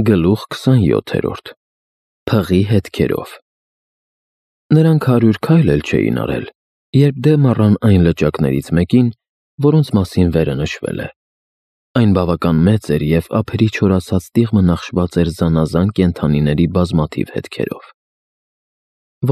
Գլուխ 27 Փղի հետքերով Նրանք 100 քայլ էլ չէին արել, երբ դեմ առան այն լճակներից մեկին, որոնց մասին վերը նշվել է։ Այն բավական մեծ էր և ափերի չորացած տիղմը նախշված էր զանազան կենդանիների բազմաթիվ հետքերով։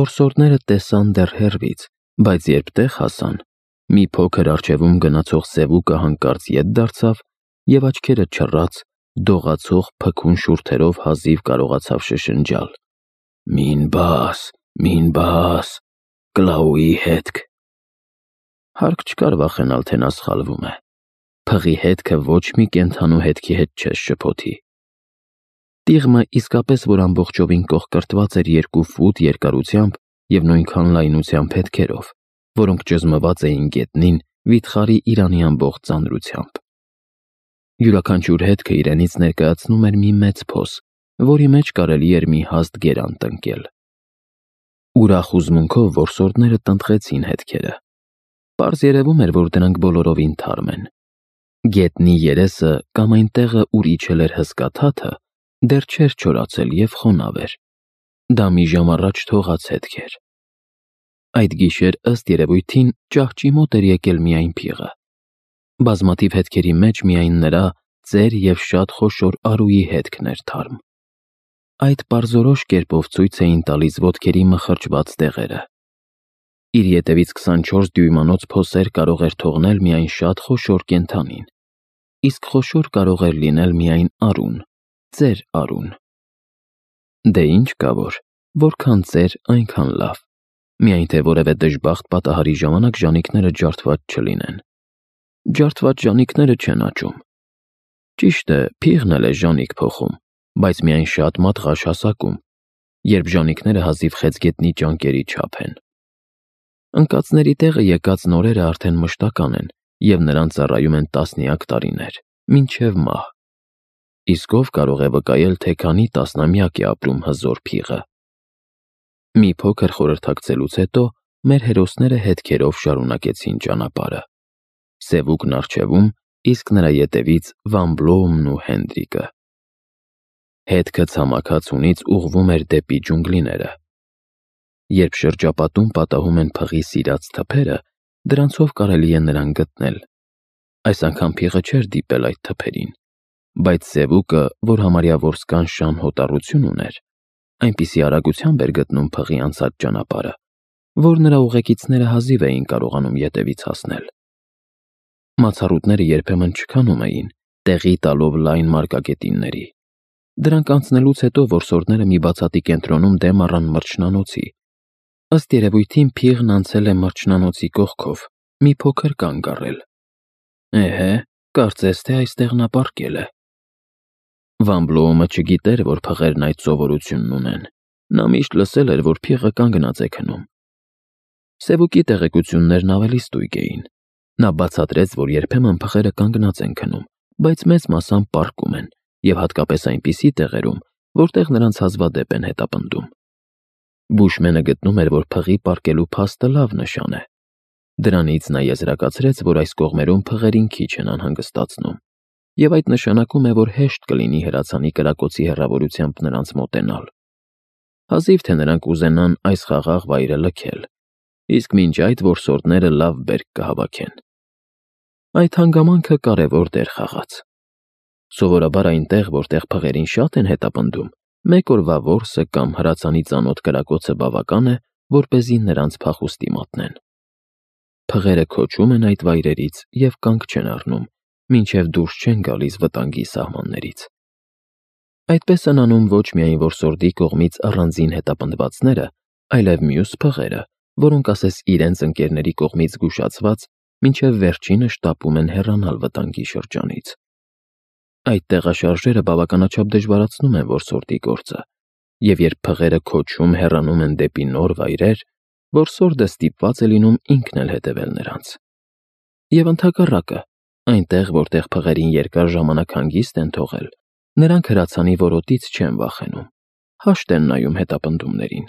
Որսորդները տեսան դեռ հեռվից, բայց երբ տեղ հասան, մի փոքր առջևում գնացող սևուկը հանկարծ ետ դարձավ և աչքերը չռած, դողացող փքուն շուրթերով հազիվ կարողացավ շշնջալ. Մին բաս, Կլաուի հետք։ Հարկ չկար վախենալ, թե նա սխալվում է։ Փղի հետքը ոչ մի կենդանու հետքի հետ չես շփոթի։ Տիղմը իսկապես որ ամբողջովին կողկրտված էր 2 ֆուտ երկարությամբ և նույնքան լայնությամբ հետքերով, որոնք ճզմված էին գետնին վիթխարի իրանի ամբողջ ծանրությամբ։ Յուրաքանչյուր հետքը իրենից ներկայացնում էր մի մեծ փոս, որի մեջ կարելի էր մի հաստ գերան տնկել։ Ուրախ հուզմունքով որսորդները տնտղեցին հետքերը։ Պարզ երևում էր, որ դրանք բոլորովին թարմ են։ Գետնի երեսը կամ այն տեղը, ուր իջել էր հսկա թաթը, դեռ չէր չորացել և խոնավ էր։ Դա մի ժամ առաջ թողած հետք էր։ Այդ գիշեր, ըստ երևույթին, ճահճի մոտ էր եկել միայն փիղը։ Բազմաթիվ հետքերի մեջ միայն նրա ծեր և շատ խոշոր արուի հետքն էր թարմ։ Այդ պարզորոշ կերպով ցույց էին տալիս ոտքերի մխրճված տեղերը։ Իր ետևից 24 դյույմանոց փոսեր կարող էր թողնել միայն շատ խոշոր կենդանին, իսկ խոշոր կարող էր լինել միայն արուն, ծեր արուն։ Դե ինչ կա որքան ծեր, այնքան լավ, միայն թե որևէ դժբախտ պատահարի ժամանակ ժանիքները ջարդված չլինեն։ Ջարդված ժանիքները չեն աճում։ Ճիշտ է, փիղն էլ է ժանիք փոխում, բայց միայն շատ մատղաշ հասակում, երբ ժանիքները հազիվ խեցգետնի ճանկերի չափ են։ Ընկածների տեղը եկած նորերը արդեն մշտական են և նրանց ծառայում են տասնյակ տարիներ, մինչև մահ։ Իսկ ով կարող է վկայել, թե քանի տասնամյակ է ապրում հզոր փիղը։ Մի փոքր խորհրդակցելուց հետո մեր հերոսները հետքերով շարունակեցին ճանապարհը։ Սևուկն առջևում, իսկ նրա ետևից Վան Բլոումն ու Հենդրիկը։ Հետքը ցամաքացունից ուղղվում էր դեպի ջունգլիները։ Երբ շրջապատում պատահում են փղի սիրած թփերը, դրանցով կարելի է նրան գտնել։ Այս անգամ փիղը չէր դիպել այդ թփերին, բայց սևուկը, որ համարյա որսկան հոտառություն ուներ, այնպիսի արագությամբ էր գտնում փղի անցած ճանապարհը, որ նրա ուղեկիցները հազիվ էին կարողանում ետևից հասնել։ Մացառուտները երբեմն չքանում էին, տեղի տալով լայն մարգագետինների։ Դրանք անցնելուց հետո որսորդները մի բացատի կենտրոնում դեմ առան մրջնանոցի։ Ըստ երևույթին փիղն անցել է մրջնանոցի կողքով, մի փոքր կանգ առել։ Էհե, կարծես թե այստեղ նա պառկել է։ Վան Բլոումը չգիտեր, որ փղերն այդ սովորությունն ունեն։ Նա միշտ լսել էր, որ փիղը կանգնած է քնում։ Սևուկի տեղեկություններն ավելի ստույգ էին։ Նա բացատրեց, որ երբեմն փղերը կանգնած են քնում, բայց մեծ մասամբ պառկում են, և հատկապես այնպիսի տեղերում, որտեղ նրանց հազվադեպ են հետապնդում։ Բուշմենը գտնում էր, որ փղի պառկելու փաստը լավ նշան է։ Դրանից նա եզրակացրեց, որ այս կողմերում փղերին քիչ են անհանգստացնում, և այդ նշանակում է, որ հեշտ կլինի հրացանի կրակոցի հեռավորությամբ նրանց մոտենալ։ Հազիվ թե նրանք ուզենան այս խաղաղ վայրը լքել, իսկ մինչ այդ որսորդները լավ բերք կհավաքեն։ Այդ հանգամանքը կարևոր դեր խաղաց։ Սովորաբար այնտեղ, որտեղ փղերին շատ են հետապնդում, մեկ օրվա որսը կամ հրացանի ծանոթ կրակոցը բավական է, որպեսզի նրանց փախուստի մատնեն։ Փղերը քոչում են այդ վայրերից և կանգ չեն առնում, մինչև դուրս չեն գալիս վտանգի սահմաններից։ Այդպես են անում ոչ միայն որսորդի կողմից առանձին հետապնդվածները, այլև մյուս փղերը, որոնք ասես իրենց ընկերների կողմից զգուշացված, մինչև վերջինը շտապում են հեռանալ վտանգի շրջանից։ Այդ տեղաշարժերը բավականաչափ դժվարացնում են որսորդի գործը, և երբ փղերը քոչում հեռանում են դեպի նոր վայրեր, որսորդը ստիպված է լինում ինքն էլ հետևել նրանց։ Եվ ընդհակառակը, այնտեղ, որտեղ փղերին երկար ժամանակ հանգիստ են թողել, նրանք հրացանի որոտից չեն վախենում, հաշտ են նայում հետապնդումներին,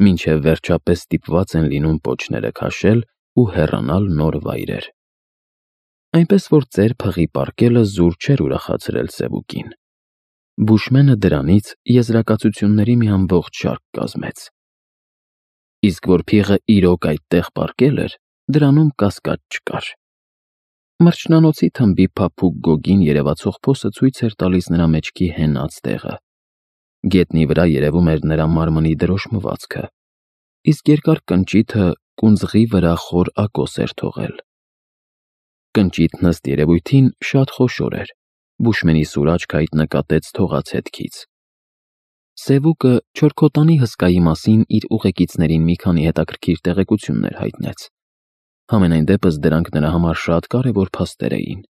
մինչև վերջապես ստիպված են լինում պոչները քաշել ու հեռանալ նոր վայրեր։ Այնպես որ ծեր փղի պառկելը զուր չէր ուրախացրել սևուկին։ Բուշմենը դրանից եզրակացությունների մի ամբողջ շարք կազմեց։ Իսկ որ փիղը իրոք այդտեղ պառկել էր, դրանում կասկած չկար։ Մրջնանոցի թմբի փափուկ գոգին երևացող փոսը ցույց էր տալիս նրա մեջքի հենած տեղը։ Գետնի վրա երևում էր նրա մարմնի դրոշմվածքը, իսկ երկար կնճիթը կունձղի վրա խոր ակոս էր թողել։ Կնճիթն ըստ երևույթին շատ խոշոր էր, Բուշմենի սուր աչքը այդ նկատեց թողած հետքից։ Սևուկը չորքոտանի հսկայի մասին իր ուղեկիցներին մի քանի հետաքրքիր տեղեկություններ հայտնեց։ Համենայն դեպս դրանք նրա համար շատ կարևոր փաստեր էին։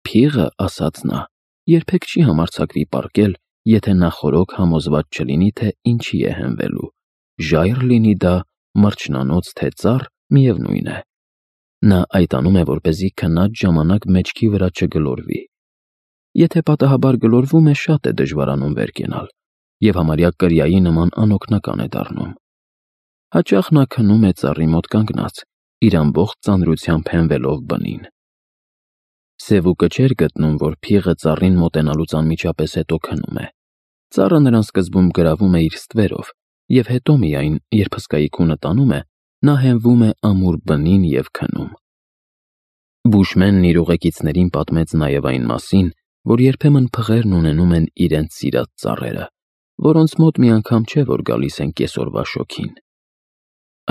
Փիղը, ասաց նա, երբեք չի համարձակվի պառկել, եթե նախօրոք համոզված չլինի, թե ինչի է հենվելու, ժայռ լինի դա, մրջնանոց, թե ծառ, միևնույն է։ Նա այդ անում է, որպեսզի քնած ժամանակ մեջքի վրա չգլորվի։ Եթե պատահաբար գլորվում է, շատ է դժվարանում վեր կենալ, և համարյա կրիայի նման անօգնական է դառնում։ Հաճախ նա քնում է ծառի մոտ կանգնած, իր ամբողջ ծանրությամբ հենվելով բնին։ Սևուկը չէր գտնում, որ փիղը ծառին մոտենալուց անմիջապես հետո քնում է։ Ծառը նրան սկզբում գրավում է իր ստվերով, և հետո միայն, երբ հսկայի քունը տանում է, նա հենվում է ամուր բնին և քնում։ Բուշմենն իր ուղեկիցներին պատմեց նաև այն մասին, որ երբեմն փղերն ունենում են իրենց սիրած ծառերը, որոնց մոտ մի անգամ չէ, որ գալիս են կեսօրվա շոգին։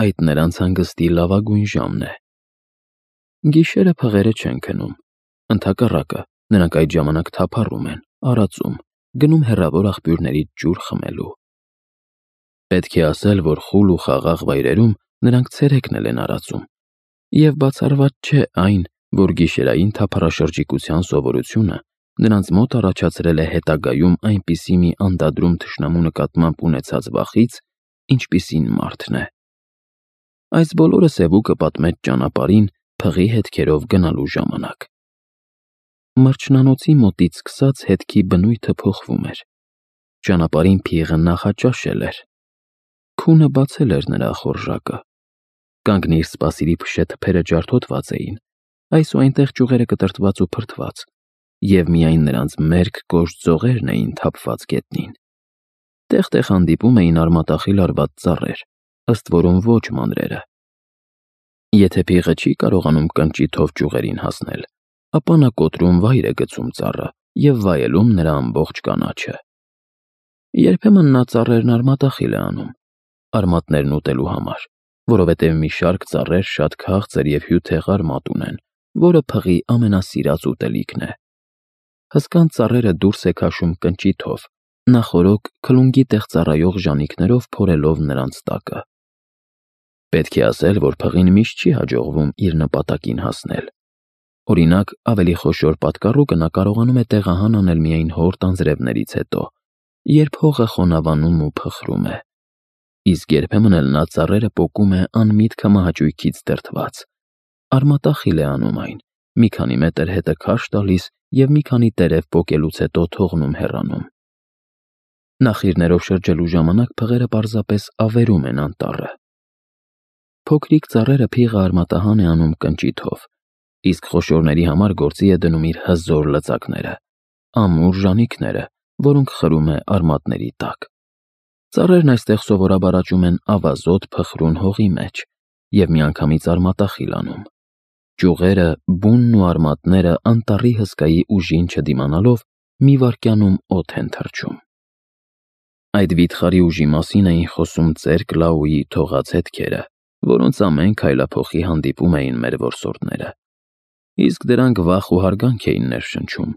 Այդ նրանց հանգստի լավագույն ժամն է։ Գիշերը փղերը չեն քնում։ Ընդհակառակը, նրանք այդ ժամանակ թափառում են, արածում, գնում հեռավոր աղբյուրներից ջուր խմելու։ Պետք է ասել, որ խուլ ու խաղաղ վայրերում նրանք ցերեկն են արածում, և բացառված չէ այն, որ գիշերային թափառաշրջիկության սովորությունը նրանց մոտ առաջացրել է հետագայում այնպիսի մի անդադրում թշնամու նկատմամբ ունեցած վախից, ինչպիսին մարդն է։ Այս բոլորը Սևուկը պատմեց ճանապարհին փղի հետքերով գնալու ժամանակ։ Մրջնանոցի մոտից սկսած հետքի բնույթը փոխվում էր։ Ճանապարհին փիղը նախաճաշել էր։ Քունը բացել էր նրա ախորժակը։ Կանգնիր, սպասիրի փշե թփերը ջարդոտված էին, այսուհետև ճյուղերը կտրտված ու փրթված, և միայն նրանց մերկ կոշտ ձողերն էին թափված գետնին։ Տեղ-տեղ հանդիպում էին արմատախիլ արված ծառեր, ըստ որում ոչ մանրերը։ Եթե փիղը չի կարողանում կնճիթով ճյուղերին հասնել, ապա նա կոտրում վայր է գցում ծառը և վայելում նրա ամբողջ կանաչը։ Երբեմն նա ծառերն արմատախիլ է անում, արմատներն ուտելու համար, որովհետև մի շարք ծառեր շատ քաղցր և հյութեղ արմատ ունեն, որը փղի ամենասիրած ուտելիքն է։ Հսկան ծառերը դուրս է քաշում կնճիթով, նախօրոք քլունգի տեղ ծառայող ժանիքներով փորելով նրանց տակը։ Պետք է ասել, որ փղին միշտ չի հաջողվում իր նպատակին հասնել։ Օրինակ, ավելի խոշոր պատկառուկը նա կարողանում է տեղահան անել միայն հոր տանձրևներից հետո, երբ հողը խոնավանում ու փխրում է։ Իսկ երբեմն էլ նա ծառերը պոկում է անմիտ քմահաճույքից դրդված։ Արմատախիլ է անում այն, մի քանի մետր հետը քարշ տալիս և մի քանի տերև պոկելուց հետո թողնում հեռանում։ Նախիրներով շրջելու ժամանակ փղերը պարզապես ավերում են անտառը։ Փոքրիկ ծառերը փիղը արմատահան է անում կնճիթով, իսկ խոշորների համար գործի է դնում իր հզոր լծակները, ամուր ժանիքները, որոնք խրում է արմատների տակ։ Ծառերն այստեղ սովորաբար աճում են ավազոտ փխրուն հողի մեջ և միանգամից արմատախիլ անում։ Ճյուղերը, բունն ու արմատները անտառի հսկայի ուժին չդիմանալով մի վայրկյանում օդ են թռչում։ Այդ վիթխարի ուժի մասին էին խոսում ծեր Կլաուի թողած հետքերը, որոնց ամեն քայլափոխի հանդիպում էին մեր որսորդները։ Իսկ դրանք վախ ու հարգանք էին ներշնչում,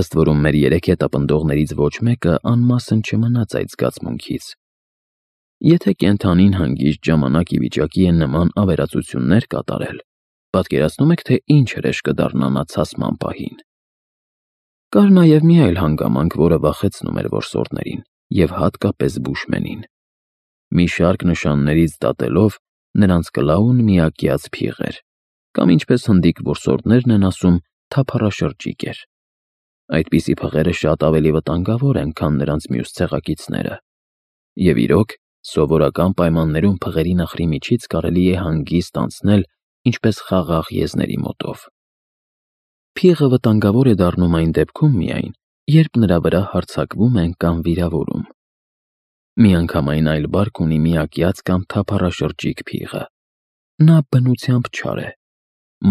ըստ որում մեր երեք հետապնդողներից ոչ մեկը անմասն չմնաց այդ զգացմունքից։ Եթե կենդանին հանգիստ ժամանակ ի վիճակի է նման ավերածություններ կատարել, պատկերացնում եք, թե ինչ հրեշ կդառնա նա ցասման պահին։ Կար նաև մի այլ հանգամանք, որը վախեցնում էր որսորդներին և հատկապես Բուշմենին։ Մի շարք նշաններից դատելով, նրանց Կլաուն միակյաց փիղ էր, կամ ինչպես հնդիկ որսորդներն են ասում, թափառաշրջիկ էր։ Այդպիսի փղերը շատ ավելի վտանգավոր են, քան նրանց մյուս ցեղակիցները։ Եվ իրոք, սովորական պայմաններում փղերի նխրի միջից կարելի է հանգիստ անցնել ինչպես խաղաղ եզների մոտով։ Փիղը վտանգավոր է դառնում այն դեպքում միայն, երբ նրա վրա հարձակվում են կամ վիրավորում։ Միանգամայն այլ բարկ ունի միակյաց կամ թափառաշրջիկ փիղը։ Նա բնությամբ չար է։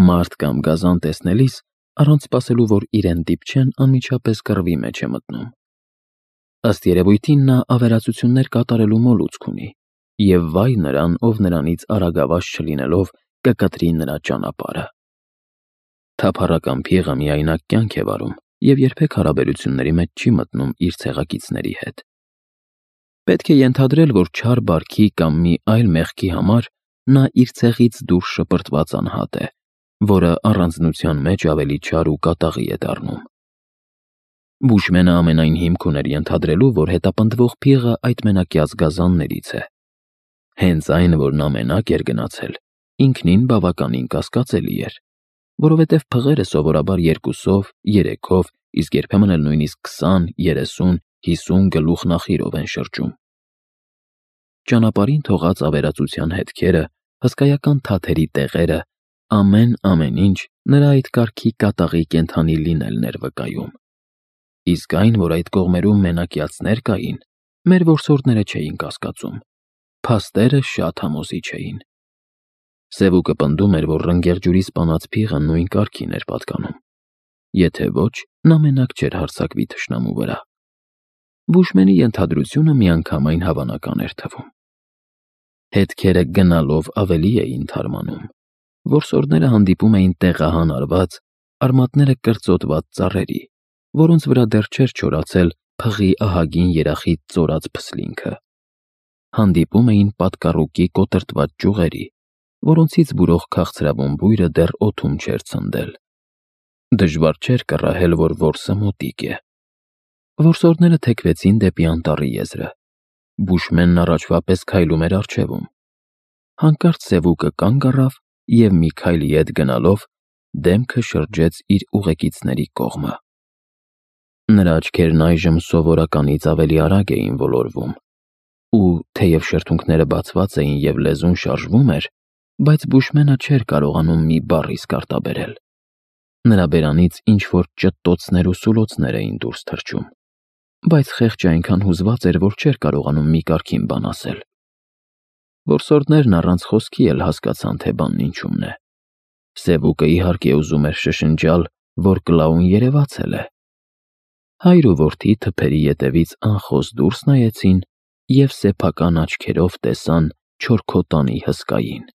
Մարդ կամ գազան տեսնելիս, առանց սպասելու, որ իրեն դիպչեն, անմիջապես կռվի մեջ է մտնում։ Ըստ երևույթին նա ավերածություններ կատարելու մոլուցք ունի, և վայ նրան, ով նրանից արագավաճ չլինելով, կկտրի նրա ճանապարհը։ Թափառական փիղը միայնակ կյանք է վարում և երբեք հարաբերությունների մեջ չի մտնում իր ցեղակիցների հետ։ Պետք է ենթադրել, որ չար բարքի կամ մի այլ մեղքի համար նա իր ցեղից դուրս շպրտված անհատ է, որը առանձնության մեջ ավելի չար ու կատաղի է դառնում։ Բուշմենը ամենայն հիմք ուներ ենթադրելու, որ հետապնդվող փիղը այդ մենակյաց գազաններից է։ Հենց այն, որ նա մենակ էր գնացել, ինքնին բավականին կասկածելի էր, որովհետև փղերը սովորաբար 2-ով, 3-ով, իսկ երբեմն էլ նույնիսկ 20, 30, 50 գլուխ նախիրով են շրջում։ Ճանապարհին թողած ավերածության հետքերը, հսկայական թաթերի տեղերը, ամեն ինչ նրա այդ կարգի կատաղի կենդանի լինելն էր վկայում։ Իսկ այն, որ այդ կողմերում մենակյացներ կային, մեր որսորդները չէին կասկածում։ Փաստերը շատ համոզիչ էին։ Սևուկը պնդում էր, որ ռնգեղջյուրի սպանած փիղը նույն կարգին էր պատկանում։ Եթե ոչ, նա մենակ չէր հարձակվի թշնամու վրա։ Բուշմենի ենթադրությունը միանգամայն հավանական էր թվում։ Հետքերը գնալով ավելի էին թարմանում։ Որսորդները հանդիպում էին տեղահան արված, արմատները կրծոտված ծառերի, որոնց վրա դեռ չէր չորացել փղի ահագին երախիտ ծորած փսլինքը։ Հանդիպում էին պատկառուկի կոտրտված ճյուղերի, որոնցից բուրող քաղցրավուն բույրը դեռ օդում չէր ցնդել։ Դժվար չէր կռահել, որ որսը մոտիկ է։ Որսորդները թեքվեցին դեպի անտառի եզրը։ Բուշմենն առաջվա պես քայլում էր առջևում։ Հանկարծ Սևուկը կանգ առավ և մի քայլի ետ գնալով դեմքը շրջեց իր ուղեկիցների կողմը։ Նրա աչքերն այժմ սովորականից ավելի արագ էին ոլորվում, ու թեև շրթունքները բացված էին և լեզուն շարժվում էր, բայց Բուշմենը չէր կարողանում մի բառ իսկ արտաբերել։ Նրա բերանից ինչ-որ ճտտոցներ ու սուլոցներ էին դուրս թռչում, բայց խեղճը այնքան հուզված էր, որ չէր կարողանում մի կարգին բան ասել։ Որսորդներն առանց խոսքի էլ հասկացան, թե բանն ինչումն է։ Սևուկը իհարկե ուզում էր շշնջալ, որ Կլաուն երևացել է։ Հայր ու որդի թփերի ետևից անխոս դուրս նայեցին և սեփական աչքերով տեսան չորքոտանի հսկային։